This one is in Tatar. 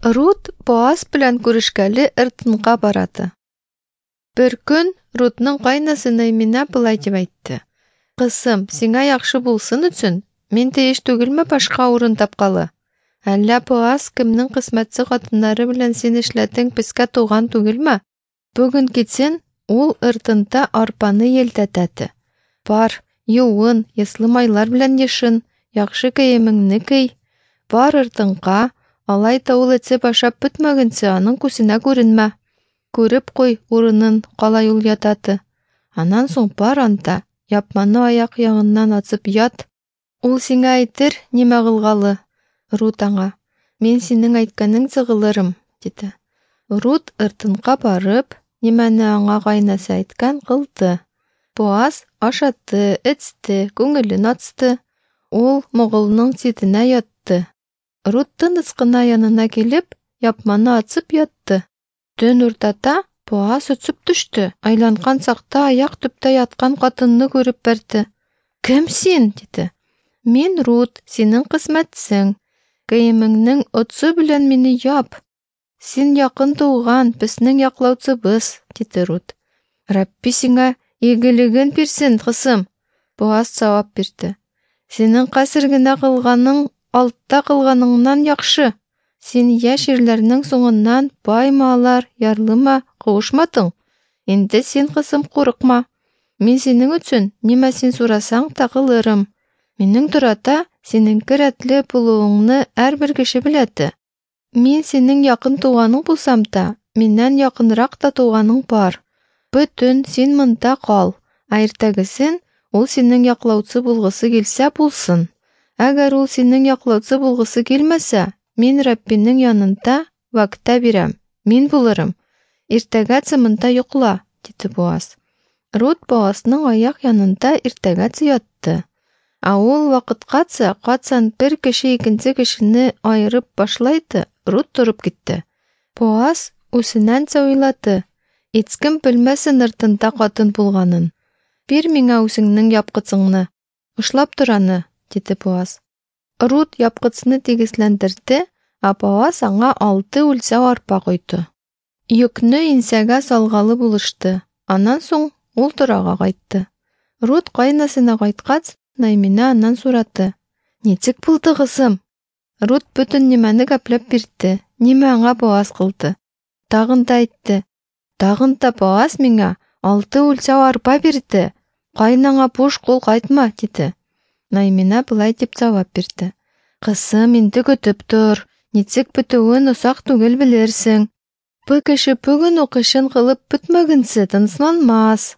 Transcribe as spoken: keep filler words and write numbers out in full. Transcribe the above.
Рут Боаз белән күрешкәле ыртынга барады. Бер көн Рутның кайнасы Наймина былай дип әйтте: "Кызым, сиңа яхшы булсын өчен, мин тиеш түгелме башка урын тапкалы? Әллә Боаз кемнең кысмәтсе хатыннары белән син эшләтең пескә туган түгелме? Бүген китсен, ул ыртынта арпаны елтәтәте. Бар, юын, еслы майлар белән ешын, яхшы киемеңне кий. Бар ыртынка, алай та ул эчеп ашап бетмәгенче аның күзенә күренмә. Күреп куй урынын, калай ул ятаты. Аннан соң бар анта, япманы аяк ягыннан ачып ят. Ул сиңа әйтер, нимә кылгалы. Рут аңа: "Мин синең әйткәнеңчә кылырым", диде. Рут ыртынка барып, нимәне аңа кайнасы әйткән кылды. Боаз ашатты, эчте, күңелен ачты. Ул моголның читенә ятты. Рут тыныч кына янына килеп, япманы ачып ятты. Төн уртада Боаз очып төште. Айланкан чакта аяк төптә яткан хатынны күреп бәрде. "Кем син?" диде. "Мин Рут, синең кысмәтсең. Киемеңнең отсы белән мине яп. Син якын туган, безнең яклаучыбыз", диде Рут. "Рабби сиңа игелеген бирсен, кызым", Боаз җавап бирде. "Синең хәзер генә кылганың алтта кылганыңнан яхшы. Син яшь ирләрнең соңыннан баймы алар, ярлымы, кавышмадың. Инде син, кызым, курыкма. Мин синең өчен нимә син сорасаң та кылырым. Минең тората синеңке рәтле булуыңны һәрбер кеше беләде. Мин синең якын туганың булсам та, миннән якынрак та туганың бар. Бөтен син монда кал, ә иртәгесен ул синең яклаучы булгысы килсә булсын. Әгәр ул синең яклаучы булгысы килмәсә, мин Раббинең янында вәгъдә бирәм, мин булырым. Иртәгәчә монда йокла", диде Боаз. Рут Боазның аяк янында иртәгәчә ятты. Ә ул вакыткача кайчан бер кеше икенче кешене аерып башлайды, Рут торып китте. Боаз үзенәнчә уйлады: "Һичкем белмәсен ыртында хатын булганын. Бир миңа үзеңнең япкычыңны. Ушлап тор аны", диде Боаз. Рут япкычны тигезләндерде, ә Боаз аңа алты үлчәү арпа койды. Йөкне инсәгә салгалы булышты. Аннан соң ул торага кайтты. Рут кайнасына кайткач, Наймина аннан сорады: "Ничек булды, кызым?" Рут бөтен нимәне гәпләп бирде, нимә аңа Боаз кылды. Тагын да әйтте: "Тагын да Боаз миңа алты үлчәү арпа бирде. Кайнаңа буш кул кайтма", диде. Наймина былай дип җавап бирде: "Кызым, инде көтеп тор. Ничек бетүен озак түгел белерсең. Бу кеше бүген ук эшен кылып бетмәгенчә тынычланмас".